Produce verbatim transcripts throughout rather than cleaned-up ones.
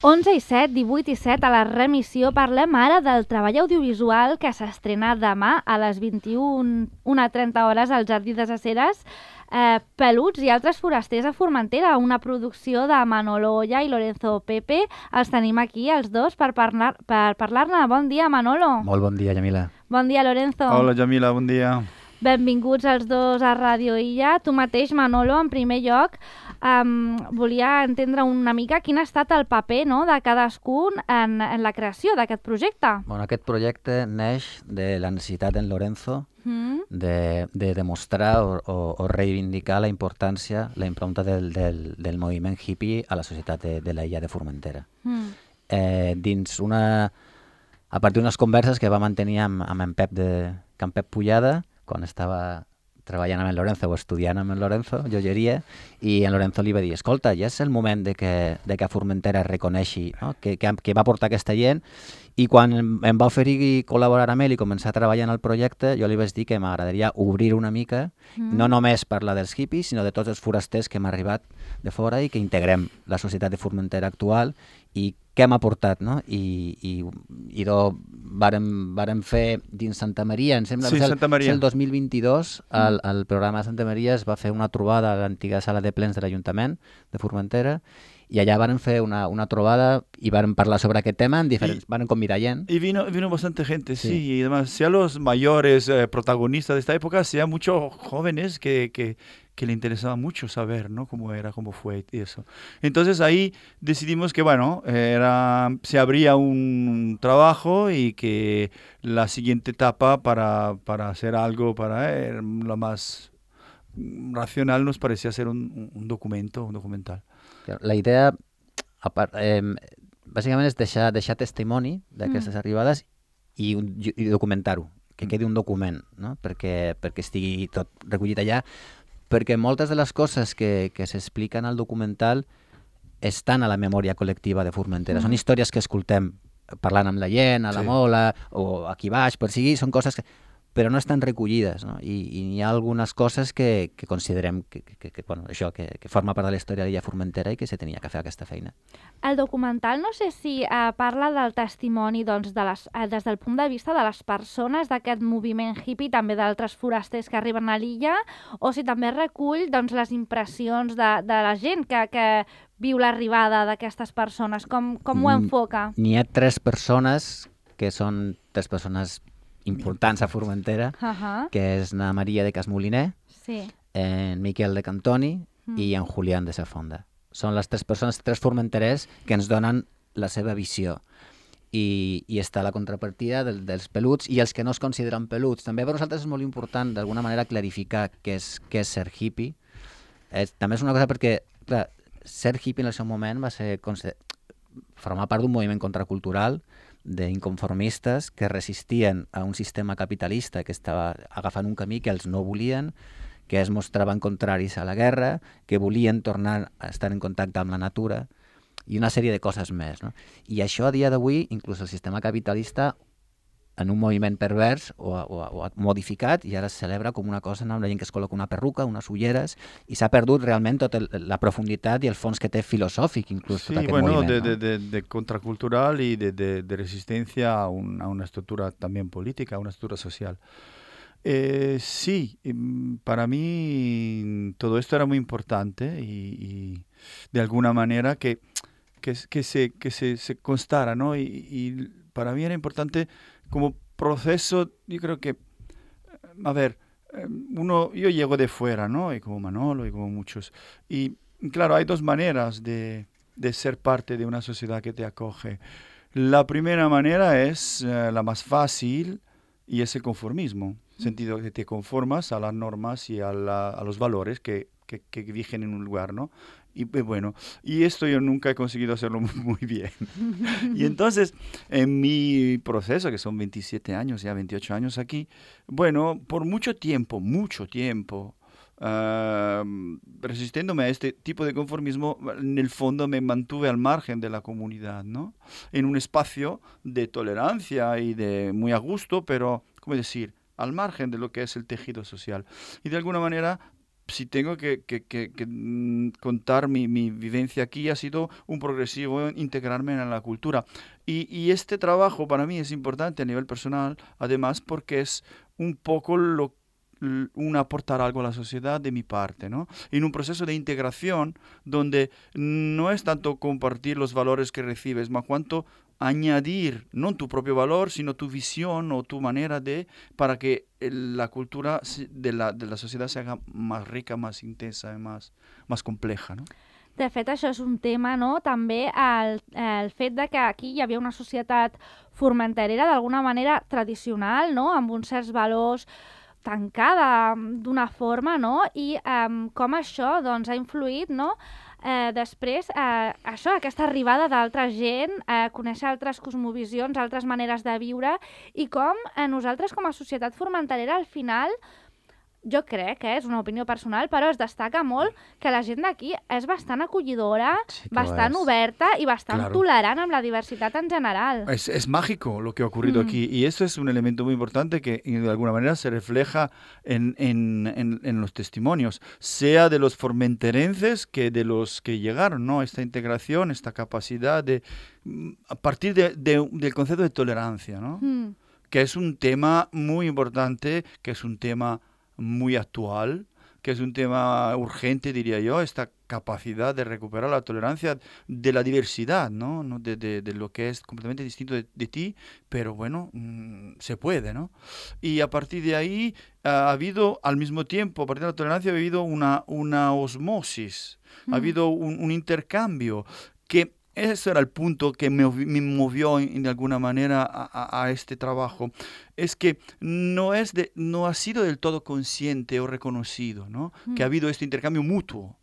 onze i set, divuit i set, a la remissió parlem ara del treball audiovisual que s'estrena demà a les vint-i-una trenta hores al Jardí de les Heres, eh, Peluts i altres forasters a Formentera, una producció de Manolo Olla i Lorenzo Pepe. Els tenim aquí, els dos, per parlar- per parlar-ne. Bon dia, Manolo. Molt bon dia, Yamila. Bon dia, Lorenzo. Hola, Yamila, bon dia. Benvinguts els dos a Ràdio Illa. Tu mateix, Manolo, en primer lloc, um, volia entendre una mica quin ha estat el paper, no?, de cadascun en, en la creació d'aquest projecte. Bueno, aquest projecte neix de la necessitat d'en Lorenzo Mm. de, de demostrar o, o, o reivindicar la importància, la impronta del, del, del moviment hippie a la societat de, de la illa de Formentera. Mm. Eh, dins una... A partir d'unes converses que va mantenir amb, amb en Pep de Can Pep Pullada, quan estava treballant amb en Lorenzo o estudiant amb en Lorenzo, joieria, i en Lorenzo li va dir, escolta, ja és el moment de que, de que Formentera reconeixi, no?, que, que, que va portar aquesta gent, i quan em, em va oferir col·laborar amb ell i començar a treballar en el projecte, jo li vaig dir que m'agradaria obrir una mica, mm. no només parlar dels hippies, sinó de tots els forasters que hem arribat de fora i que integrem la societat de Formentera actual i què hem aportat, no? I, i, i do, vàrem, vàrem fer dins Santa Maria, em sembla sí, que Santa Maria. el dos mil vint-i-dos, al, al programa de Santa Maria es va fer una trobada a l'antiga sala de plens de l'Ajuntament de Formentera, i allà varen fer una, una trobada y varen parlar sobre aquest tema, en diferents, varen convidar gent. Y vino, vino bastante gente, sí, Sí. y además, sea los mayores eh, protagonistas de esta época, sea muchos jóvenes que, que, que le interesaba mucho saber, ¿no?, cómo era, cómo fue y eso. Entonces ahí decidimos que, bueno, era, se abría un trabajo y que la siguiente etapa para, para hacer algo, para eh, lo más racional nos parecía hacer un, un documento, un documental. La idea, a part, eh, bàsicament, és deixar, deixar testimoni d'aquestes mm. arribades i, i documentar-ho, que quedi un document, no?, perquè, perquè estigui tot recollit allà, perquè moltes de les coses que, que s'expliquen al documental estan a la memòria col·lectiva de Formentera. Mm. Són històries que escoltem parlant amb la gent, a la Sí. mola, o aquí baix, per sigui, són coses que... però no estan recollides, no? I, i hi ha algunes coses que, que considerem que, que, que, bueno, això, que, que forma part de la història de l'illa Formentera i que se tenia que fer aquesta feina. El documental no sé si eh, parla del testimoni, doncs, de les, eh, des del punt de vista de les persones d'aquest moviment hippie, també d'altres forasters que arriben a l'illa, o si també recull, doncs, les impressions de, de la gent que, que viu l'arribada d'aquestes persones. Com, com ho enfoca? N'hi ha tres persones que són tres persones importants a Formentera, Uh -huh. que és na Maria de Casmoliner, Sí. en Miquel de Cantoni Mm. i en Julián de Safonda. Són les tres persones, tres formenterers que ens donen la seva visió. I, i està la contrapartida del, dels peluts i els que no es consideren peluts. També per nosaltres és molt important d'alguna manera clarificar què és, què és ser hippie. És, també és una cosa perquè, clar, ser hippie en el seu moment va ser formar part d'un moviment contracultural d'inconformistes que resistien a un sistema capitalista que estava agafant un camí que els no volien, que es mostraven contraris a la guerra, que volien tornar a estar en contacte amb la natura i una sèrie de coses més, no? I això a dia d'avui, inclús el sistema capitalista, en un moviment pervers o, o, o ha modificat i ara es celebra com una cosa amb la gent que es col·loca una perruca, unes ulleres, i s'ha perdut realment tota la profunditat i el fons que té filosòfic, inclús, Sí, tot aquest bueno, moviment. de, no? de, de, de contracultural y de, de, de resistencia a, un, a una estructura también política, a una estructura social. Eh, sí, para mí todo esto era muy importante y, y de alguna manera que, que, que, se, que se, se constara, ¿no? Y, y para mí era importante como proceso, yo creo que, a ver, uno, yo llego de fuera, ¿no? Y como Manolo y como muchos. Y claro, hay dos maneras de, de ser parte de una sociedad que te acoge. La primera manera es uh, la más fácil y es el conformismo. Sentido que te conformas a las normas y a, la, a los valores que, que, que rigen en un lugar, ¿no? Y bueno, y esto yo nunca he conseguido hacerlo muy bien. Y entonces, en mi proceso, que son veintisiete años, ya veintiocho años aquí, bueno, por mucho tiempo, mucho tiempo, uh, resistiéndome a este tipo de conformismo, en el fondo me mantuve al margen de la comunidad, ¿no? En un espacio de tolerancia y de muy a gusto, pero, ¿cómo decir?, al margen de lo que es el tejido social. Y de alguna manera si tengo que, que, que, que contar mi, mi vivencia aquí, ha sido un progresivo integrarme en la cultura. Y, y este trabajo para mí es importante a nivel personal, además porque es un poco lo un aportar algo a la sociedad de mi parte, ¿no? En un proceso de integración donde no es tanto compartir los valores que recibes, más cuanto añadir no tu propio valor, sino tu visión o tu manera de, para que la cultura de la, de la societat se haga más rica, más intensa i más, más compleja, no? De fet, això és un tema, no? També el, el fet de que aquí hi havia una societat formenterera d'alguna manera tradicional, no? Amb uns certs valors, tancada d'una forma, no? I um, com això doncs, ha influït, no? Eh, després, eh, això, aquesta arribada d'altra gent, eh, conèixer altres cosmovisions, altres maneres de viure, i com eh, nosaltres com a societat formenterera al final, jo crec que és una opinió personal, però es destaca molt que la gent d'aquí és bastant acollidora, sí bastant oberta y bastant claro. tolerant amb la diversidad en general. Es, es mágico lo que ha ocurrido mm. aquí, y eso es un elemento muy importante que de alguna manera se refleja en, en, en, en los testimonios, sea de los formenterenses que de los que llegaron, ¿no? Esta integración, esta capacidad de, a partir de, de, del concepto de tolerancia, ¿no? Mm. Que es un tema muy importante, que es un tema muy actual, que es un tema urgente, diría yo, esta capacidad de recuperar la tolerancia de la diversidad, ¿no? De, de, de lo que es completamente distinto de, de ti, pero bueno, mmm, se puede, ¿no? Y a partir de ahí uh, ha habido, al mismo tiempo, a partir de la tolerancia, ha habido una, una osmosis, mm. ha habido un, un intercambio que ese era el punto que me, me movió en, de alguna manera a, a, a este trabajo. Es que no, es de, no ha sido del todo consciente o reconocido, ¿no? Mm. Que ha habido este intercambio mutuo.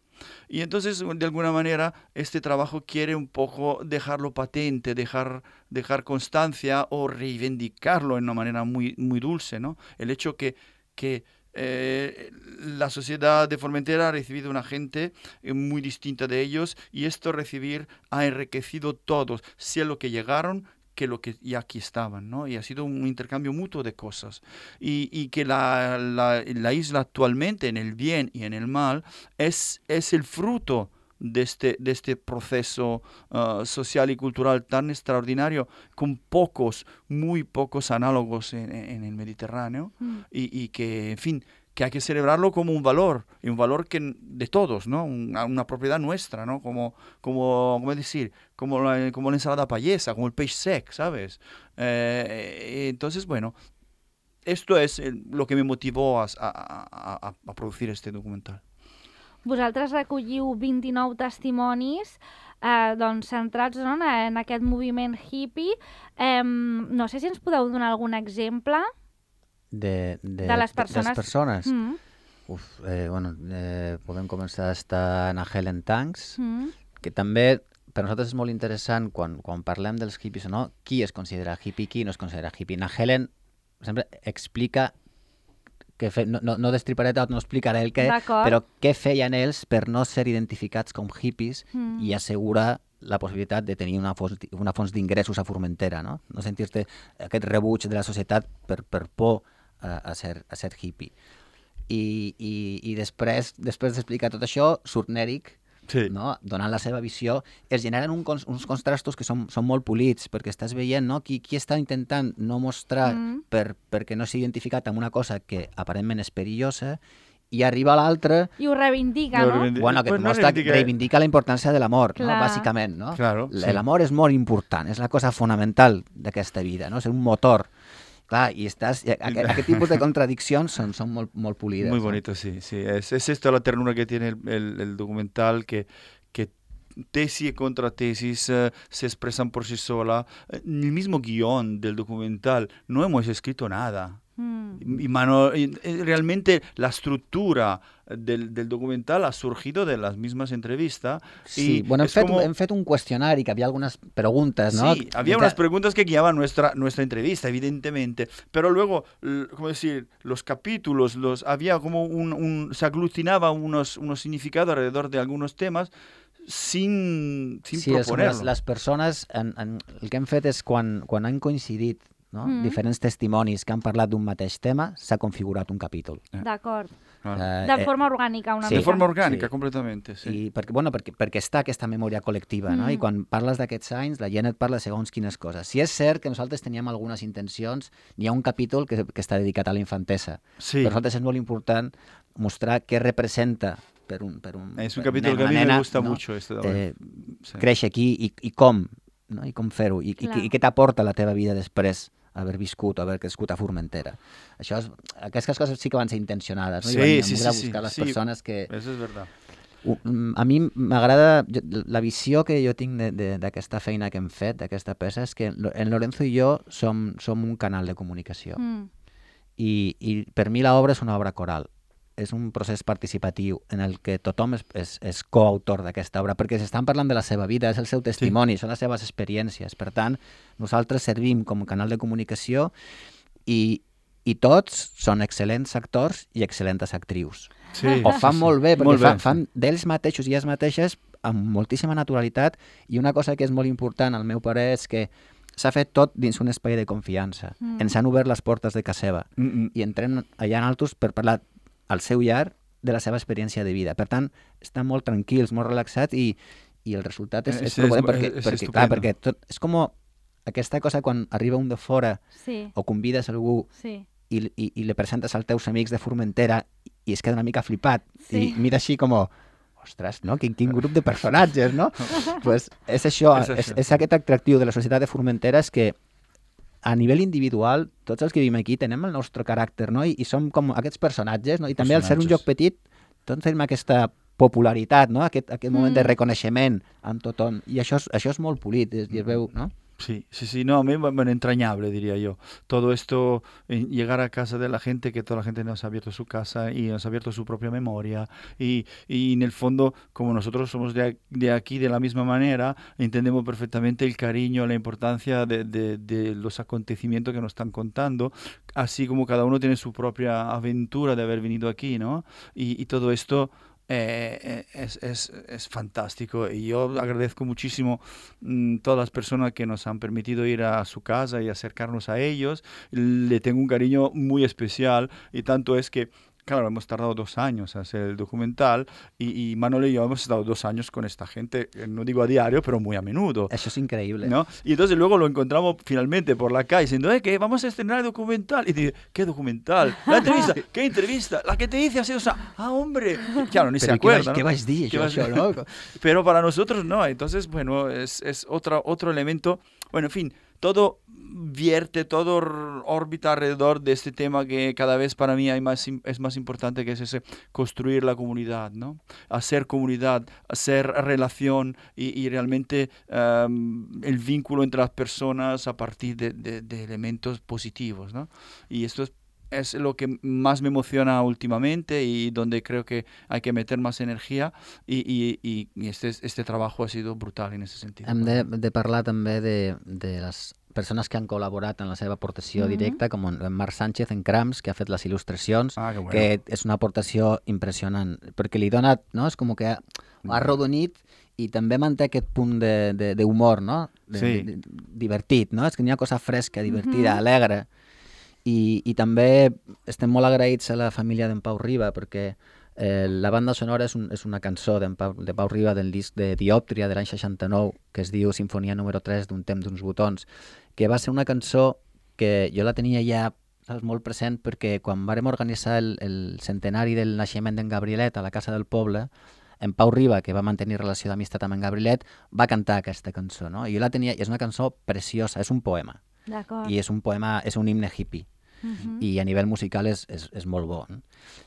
Y entonces, de alguna manera, este trabajo quiere un poco dejarlo patente, dejar, dejar constancia o reivindicarlo de una manera muy, muy dulce, ¿no? El hecho que... que Eh, la sociedad de Formentera ha recibido una gente eh, muy distinta de ellos, y esto recibir ha enriquecido todos, sea lo que llegaron que lo que ya aquí estaban, ¿no? Y ha sido un intercambio mutuo de cosas. Y, y que la, la, la isla actualmente, en el bien y en el mal, es, es el fruto de este, de este proceso uh, social y cultural tan extraordinario, con pocos, muy pocos análogos en, en el Mediterráneo, mm. y, y que, en fin, que hay que celebrarlo como un valor, y un valor que de todos, ¿no? Una, una propiedad nuestra, ¿no? Como, como, ¿cómo decir? Como la, como la ensalada payesa, como el peix sec, ¿sabes? Eh, entonces, bueno, esto es lo que me motivó a, a, a, a producir este documental. Vosaltres recolliu vint-i-nou testimonis eh, doncs, centrats no, en aquest moviment hippie. Eh, no sé si ens podeu donar algun exemple de, de, de les persones. De les persones. Mm. Uf, eh, bueno, eh, podem començar a estar en Helen Tanks, mm. que també per nosaltres és molt interessant quan, quan parlem dels hippies o no, qui es considera hippie, qui no es considera hippie. Na Helen sempre explica que fe, no, no, no destriparé tot, no explicaré el què, però què feien ells per no ser identificats com hippies mm. i assegurar la possibilitat de tenir una fons, una fons d'ingressos a Formentera, no? No sentir-te aquest rebuig de la societat per, per por a, a, ser, a ser hippie. I, i, i després, després d'explicar tot això, surt Nèric, sí. no? Donant la seva visió, es generen un, uns contrastos que són, són molt polits, perquè estàs veient no? qui, qui està intentant no mostrar mm. per, perquè no s'ha identificat amb una cosa que aparentment és perillosa, i arriba l'altre... I ho reivindica, no? Reivindica. Bueno, que pues no mostra, reivindica... reivindica la importància de l'amor, no? Bàsicament, no? Claro, sí. L'amor és molt important, és la cosa fonamental d'aquesta vida, no? És un motor. Clar, i estàs, aquest, aquest tipus de contradiccions son, son molt, molt polides. Muy bonito, ¿no? Sí. sí. Es, es esto la ternura que tiene el, el, el documental, que, que tesis y contratesis uh, se expresan por sí sola. En el mismo guión del documental no hemos escrito nada. Mm. Y mano, y, realmente la estructura del, del documental ha surgido de las mismas entrevistas. Sí, y bueno, hem fet, como... hem fet un qüestionari que había algunas preguntas, ¿no? Sí, había unas preguntas que guiaban nuestra, nuestra entrevista, evidentemente, pero luego, ¿cómo decir? Los capítulos, los, había como un, un se aglutinaba unos, unos significados alrededor de algunos temas sin, sin sí, proponer-lo. Les, les persones, en, en, el que hem fet és quan, quan han coincidit no? Mm. diferents testimonis que han parlat d'un mateix tema, s'ha configurat un capítol. D'acord. Claro. Eh, De eh, forma orgànica, una sí. De mica. forma orgànica, Sí. completamente, sí. I perquè, bueno, perquè, perquè està aquesta memòria col·lectiva, no? Mm. I quan parles d'aquests anys, la gent et parla de segons quines coses. Si és cert que nosaltres teníem algunes intencions, n'hi ha un capítol que, que està dedicat a la infantesa. Sí. Per nosaltres és molt important mostrar què representa per un, per un, Es un per capítulo nen que a o mí nena, me gusta no? mucho. Este, eh, sí. Créixer aquí i, i com, no? I com fer-ho, i, i, Clar. i què t'aporta la teva vida després haver viscut, haver crescut a Formentera. Això és, aquestes coses sí que van ser intencionades, no? Sí, I van sí, sí, sí, buscar sí, les sí. persones que... Eso es verdad. A mi m'agrada, la visió que jo tinc d'aquesta feina que hem fet, d'aquesta peça, és que en Lorenzo i jo som, som un canal de comunicació. Mm. I, i per mi l'obra és una obra coral. És un procés participatiu en el que tothom és, és, és coautor d'aquesta obra, perquè s'estan parlant de la seva vida, és el seu testimoni, sí. són les seves experiències. Per tant, nosaltres servim com a canal de comunicació i, i tots són excel·lents actors i excel·lentes actrius. Sí, Ho fan sí, molt bé, perquè molt fan, bé, fan d'ells mateixos i elles mateixes amb moltíssima naturalitat, i una cosa que és molt important, al meu parer, és que s'ha fet tot dins un espai de confiança. Mm. Ens han obert les portes de casa seva Mm -mm. i entrem allà en altos per parlar al seu llar de la seva experiència de vida. Per tant, estan molt tranquils, molt relaxats i, i el resultat és, és, És- és és- perquè, és perquè, clar, estupendo. perquè tot, és com aquesta cosa quan arriba un de fora Sí, o convides algú sí. i, i, i le presentes als teus amics de Formentera i es queda una mica flipat Sí. i mira així com, ostres, no? Quin, quin grup de personatges, no? pues és això, És és, això. és aquest atractiu de la societat de Formentera, és que a nivell individual, tots els que vivim aquí tenem el nostre caràcter, no? I, i som com aquests personatges, no? I també al ser un Personatges. lloc petit, tots tenim aquesta popularitat, no? Aquest, aquest moment Mm. de reconeixement amb tothom. I això és, això és molt polit, és, i es veu, no? Sí, sí, sí, no, a mí, bueno, entrañable, diría yo. Todo esto, en llegar a casa de la gente, que toda la gente nos ha abierto su casa y nos ha abierto su propia memoria. Y, y en el fondo, como nosotros somos de, de aquí de la misma manera, entendemos perfectamente el cariño, la importancia de, de, de los acontecimientos que nos están contando, así como cada uno tiene su propia aventura de haber venido aquí, ¿no? Y, y todo esto... Eh, es, es, es fantástico y yo agradezco muchísimo mmm, todas las personas que nos han permitido ir a su casa y acercarnos a ellos. Le tengo un cariño muy especial y tanto es que, claro, hemos tardado dos años en hacer el documental y, y Manolo y yo hemos estado dos años con esta gente, no digo a diario, pero muy a menudo. Això és increïble. ¿No? Y entonces luego lo encontramos finalmente por la calle diciendo, eh, que vamos a estrenar el documental. Y dice, ¿qué documental? La entrevista, ¿qué entrevista? La que te dice hace dos años. Ah, hombre. Claro, ni Però se acuerda. què ¿no? vas dir, ¿Qué això, vas- això, no? Pero para nosotros no. Entonces, bueno, es, es otro, otro elemento. Bueno, en fin, todo vierte, todo or- orbita alrededor de este tema que cada vez para mí hay más, im- es más importante, que es ese construir la comunidad, ¿no? Hacer comunidad, hacer relación y, y realmente um, el vínculo entre las personas a partir de, de- de elementos positivos, ¿no? Y esto es es lo que más me emociona últimamente y donde creo que hay que meter más energía y, y, y, y este, este trabajo ha sido brutal en ese sentido. Hem de, de parlar també de, de les persones que han col·laborat en la seva aportació Mhm. directa, com en Marc Sánchez en Crams, que ha fet les il·lustracions, Ah, que bueno. que és una aportació impressionant, perquè li dona, no? És com que ha, ho ha arrodonit i també manté aquest punt de- de- d'humor, no? De, Sí. de, de, divertit, no? És que n'hi ha cosa fresca, divertida, Mhm. alegre. I, I també estem molt agraïts a la família d'en Pau Riba, perquè eh, la banda sonora és, un, és una cançó d'en Pau, de Pau Riba del disc de Diòptria de l'any seixanta-nou, que es diu Sinfonia número tres d'un temps d'uns botons, que va ser una cançó que jo la tenia ja, saps, molt present, perquè quan vàrem organitzar el, el centenari del naixement d'en Gabrielet a la Casa del Poble, en Pau Riba, que va mantenir relació d'amistat amb en Gabrielet, va cantar aquesta cançó, no? I jo la tenia, i és una cançó preciosa, és un poema, D'acord. i és un poema, és un himne hippie, Mhm. i a nivell musical és, és, és molt bo. No?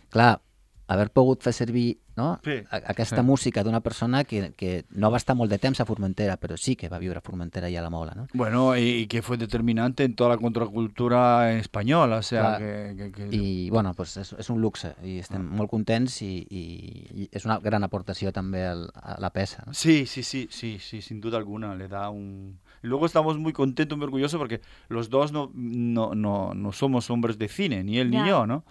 Clar, haver pogut fer servir, no? Sí, a- aquesta sí. música d'una persona que, que no va estar molt de temps a Formentera, però sí que va viure a Formentera i a la Mola, no? Bueno, y, y que fue determinante en toda la contracultura española, o sea, Clar. que... que- que- I, bueno, pues és, és un luxe, i estem molt contents, i, i, i és una gran aportació també al, a la peça. No? Sí, sí, sí, sí, sí, sin duda alguna, le da un... Y luego estamos muy contentos, muy orgullosos porque los dos no, no, no, no somos hombres de cine, ni él Ya. ni yo, ¿no?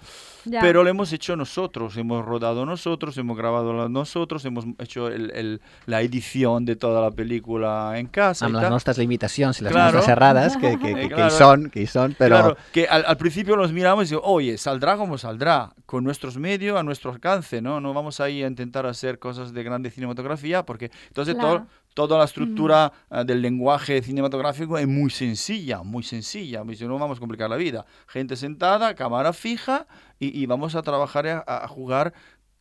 Ja. Pero lo hemos hecho nosotros, hemos rodado nosotros, hemos grabado nosotros, hemos hecho el, el, la edición de toda la película en casa. Amb y les tal. nostres limitacions i les Claro. nostres errades, que, que, que, Claro. que hi són, que hi són, però... Claro, que al, al principio los miramos y digo, oye, saldrá como saldrá, con nuestros medios a nuestro alcance, ¿no? No vamos ahí a intentar hacer cosas de grande cinematografía, porque entonces Claro. todo, toda la estructura uh, del lenguaje cinematográfico es muy sencilla, muy sencilla. Dice, no vamos a complicar la vida. Gente sentada, cámara fija, y, y vamos a trabajar, a, a jugar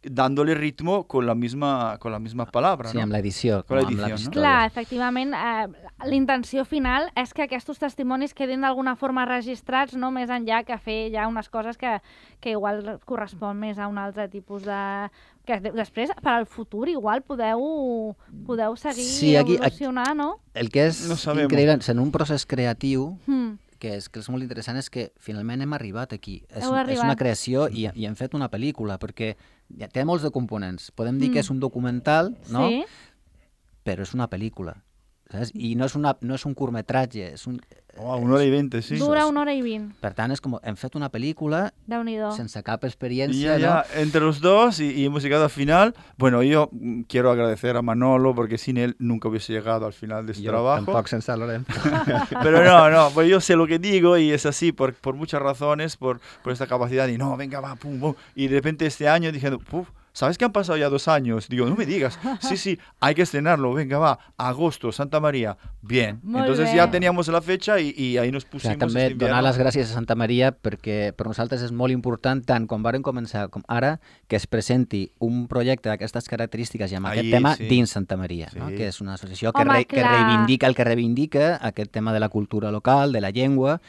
dándole ritmo con la misma con las mismas palabras, Sí, ¿no? amb l'edició. Con la com amb edició, les no? històries. Clar, efectivament, eh, l'intenció final és que aquests testimonis quedin d'alguna forma registrats, no més enllà que fer ja unes coses que, que igual correspon més a un altre tipus de... que de- després, per al futur, igual podeu, podeu seguir Sí, aquí- evolucionar, no? El que és No sabemos. increïble, en un procés creatiu, Mm. que és, que és molt interessant, és que finalment hem arribat aquí. És, Heu un- és arribat. una creació i, i hem fet una pel·lícula, perquè ja té molts de components. Podem dir Mm. que és un documental, no? Sí, Però és una pel·lícula. Saps? I no és, una, no és un curtmetratge. És un... Oh, una hora y veinte, sí. dura una hora i vint, Per tant, és com, hem fet una pel·lícula Déu-n'hi-do. sense cap Y experiència, ya, ya, no? entre los dos y, y hemos llegado al final. Bueno, yo mm, quiero agradecer a Manolo porque sin él nunca hubiese llegado al final de este Jo trabajo. tampoc sense Lorenzo. Pero no, no, pues yo sé lo que digo y es así por, por muchas razones, por, por esta capacidad y no, venga, va, pum, pum. Y de repente este año dije, puf, ¿sabes que han pasado ya dos años? Digo, no me digas. Sí, sí, hay que estrenarlo, venga, va, agosto, Santa María. Bien. Molt Entonces bé. ya teníamos la fecha y, y ahí nos O pusimos sigui, també este invierno. donar les gràcies a Santa Maria perquè per nosaltres és molt important, tant quan varen començar com ara, que es presenti un projecte d'aquestes característiques i amb Ahí, aquest tema sí. dins Santa Maria, Sí. no? Que és una associació que, Home, re, que clar. reivindica el que reivindica, aquest tema de la cultura local, de la llengua,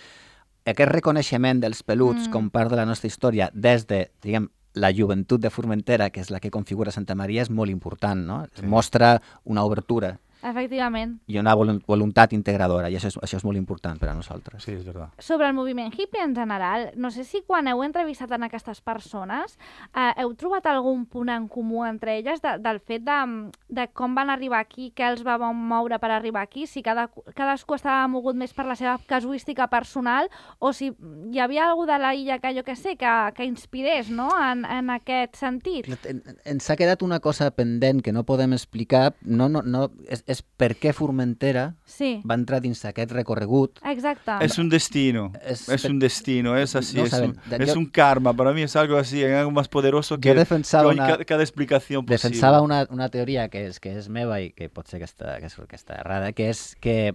aquest reconeixement dels peluts Mm. com part de la nostra història des de, diguem, la joventut de Formentera, que és la que configura Santa Maria, és molt important, no? Sí. Mostra una obertura Efectivament. i una volun- voluntat integradora, i això és, això és molt important per a nosaltres. Sí, es verdad. Sobre el moviment hippie en general, no sé si quan heu entrevistat en aquestes persones eh, heu trobat algun punt en comú entre elles de, del fet de, de com van arribar aquí, què els va moure per arribar aquí, si cada, cadascú estava mogut més per la seva casuística personal o si hi havia algú de la illa que jo que sé, que, que inspirés, no?, en, en aquest sentit. En- Ens ha quedat una cosa pendent que no podem explicar, no, no, no, és, és per què Formentera Sí, va entrar dins aquest recorregut. exacte. Es un destino, Es- es, un destino, es así, No es, saben. un, Yo- es un karma. Para mí es algo así, algo más poderoso que Jo defensava que una, cada, cada explicación posible. defensava una, una teoria que és, que és meva i que pot ser que està, que és, que està errada, que és que,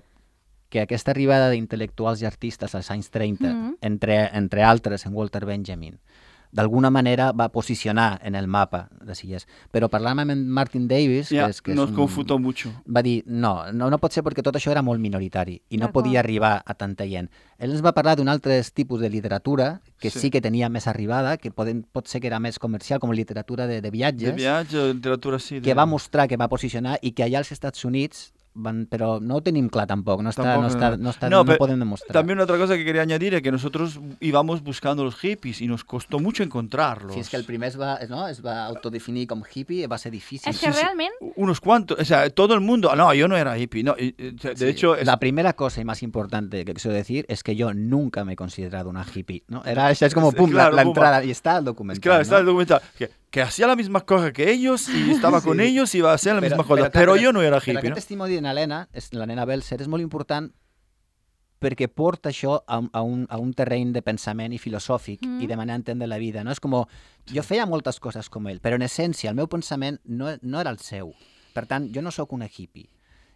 que aquesta arribada d'intel·lectuals i artistes als anys trenta, Mhm. entre, entre altres en Walter Benjamin, d'alguna manera va posicionar en el mapa de Illes. Però parlant amb en Martin Davis, Ya, que és, que és nos un, confutó mucho. va dir, no, no, no pot ser perquè tot això era molt minoritari i no D'acord. podia arribar a tanta gent. Ell ens va parlar d'un altre tipus de literatura que sí, Sí. sí que tenia més arribada, que poden, pot ser que era més comercial, com literatura de, de De viatges, viaje, de literatura así. que de- va mostrar, que va posicionar i que allà als Estats Units van, però no ho tenim clar tampoc, no, està, Tampoco, no, està, no, està, no, no, pero podem demostrar. También otra cosa que quería añadir es que nosotros íbamos buscando los hippies y nos costó mucho encontrarlos. Si és que el primer es va, no, es va autodefinir com hippie, va ser difícil. És que sí. realment Unos cuantos, o sea, todo el mundo. No, yo no era hippie. No, y- y- de Sí. hecho, es- La primera cosa y más importante que quiero decir es que yo nunca me he considerado una hippie, ¿no? Era, esa es como, Sí, pum, la- claro, la, pum, entrada, y está el documental, es claro, está el ¿no? documental. Que, que hacía la misma cosa que ellos y estaba con ellos y iba a hacer la Però- misma cosa. però- Pero, però- yo no era Però hippie, aquest ¿no? testimoni de la nena, és, la nena Belser, és molt important perquè porta això a, un- a, un, a un terreny de pensament i filosòfic Mm. i de manera d'entendre la vida. No? És com, jo feia moltes coses com ell, però en essència el meu pensament no, no era el seu. Per tant, jo no sóc una hippie.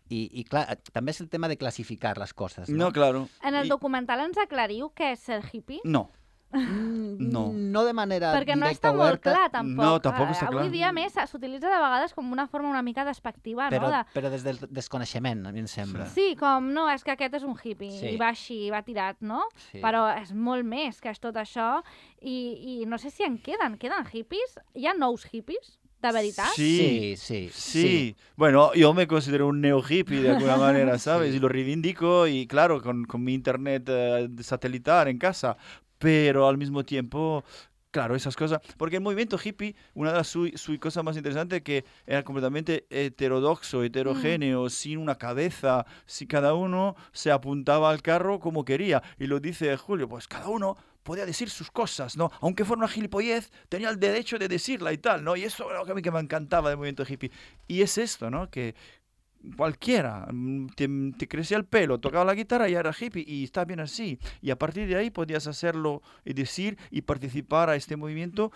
I, i clar, també és el tema de classificar les coses. No, No, claro. en el Y- documental ens aclariu què és ser hippie? No. Mm, No. no de manera Perquè no directa està molt oberta, clar, tampoc. No, tampoc Eh, està clar. Avui dia, a més, s'utilitza de vegades com una forma una mica despectiva, però, no? De... però des del desconeixement, a mi em sembla. Sí, com, no, és que aquest és un hippie, Sí. i va així, va tirat, no? Sí. Però és molt més que és tot això, i, i no sé si en queden, queden hippies? Hi ha nous hippies, de veritat? Sí. Sí, sí, Sí. Bueno, yo me considero un neo hippie de alguna manera, ¿sabes? Y lo reivindico y claro, con, con mi internet eh, satelital en casa, pero al mismo tiempo, claro, esas cosas, porque el movimiento hippie, una de las su, su cosas más interesantes que era completamente heterodoxo, heterogéneo, sin una cabeza, si cada uno se apuntaba al carro como quería, y lo dice Julio, pues cada uno podía decir sus cosas, ¿no? Aunque fuera una gilipollez, tenía el derecho de decirla y tal, ¿no? Y eso era lo que a mí que me encantaba del movimiento hippie. Y es esto, ¿no? Que cualquiera, te, te crecía el pelo, tocaba la guitarra y era hippie y está bien así. Y a partir de ahí podías hacerlo y decir y participar a este movimiento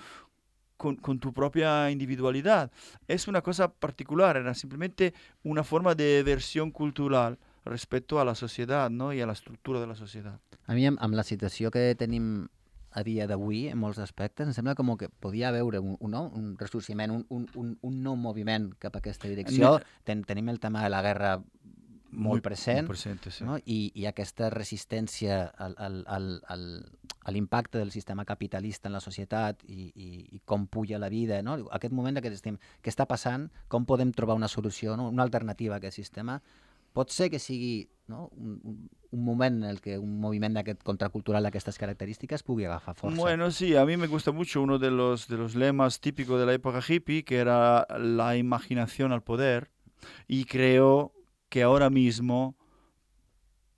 con, con tu propia individualidad. Es una cosa particular, era simplemente una forma de versión cultural respecto a la sociedad, ¿no? Y a la estructura de la sociedad. A mi, amb, amb la situació que tenim a dia d'avui, en molts aspectes, em sembla com que podia haver un, un, un ressorgiment, un, un, un, un nou moviment cap a aquesta direcció. Ten, tenim el tema de la guerra molt present, molt present sí. No? I, i aquesta resistència al, al, al, al, a l'impacte del sistema capitalista en la societat i, i, i com puja la vida. No? Aquest moment que estem, què està passant, com podem trobar una solució, no? Una alternativa a aquest sistema. Pot ser que sigui, no? un, un, un moment en el que un moviment d'aquest contracultural d'aquestes característiques pugui agafar força. Bueno, sí, a mí me gusta mucho uno de los, de los lemas típicos de la época hippie, que era la imaginación al poder, y creo que ahora mismo,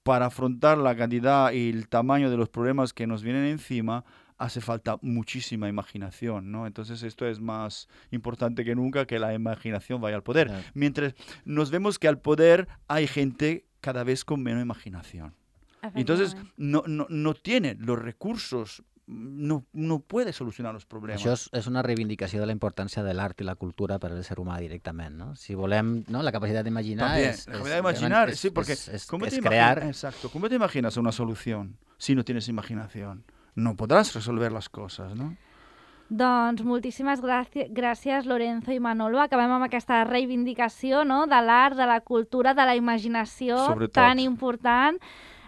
para afrontar la cantidad y el tamaño de los problemas que nos vienen encima, hace falta muchísima imaginación, ¿no? Entonces esto es más importante que nunca, que la imaginación vaya al poder. Claro. Mientras nos vemos que al poder hay gente cada vez con menos imaginación. Entonces no, no, no tiene los recursos, no, no puede solucionar los problemes. Això és, és una reivindicació de la importància de l'art i la cultura per al ser humà directament, ¿no? Si volem, ¿no? La capacidad de imaginar es, la capacidad de imaginar, es, sí, porque es, es, ¿cómo es te crear. Imagina, exacto, ¿cómo te imaginas una solución si no tienes imaginación? No podrás resolver las cosas, ¿no? Doncs moltíssimes gràcies, Lorenzo i Manolo. Acabem amb aquesta reivindicació, no? De l'art, de la cultura, de la imaginació tan important.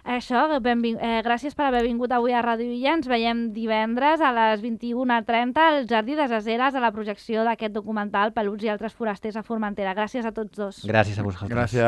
Això, benving... eh, gràcies per haver vingut avui a Ràdio Illa. Ens veiem divendres a les vint-i-una trenta al Jardí de Zazeres a la projecció d'aquest documental Peluts i altres forasters a Formentera. Gràcies a tots dos. Gràcies a vosaltres. Gràcies.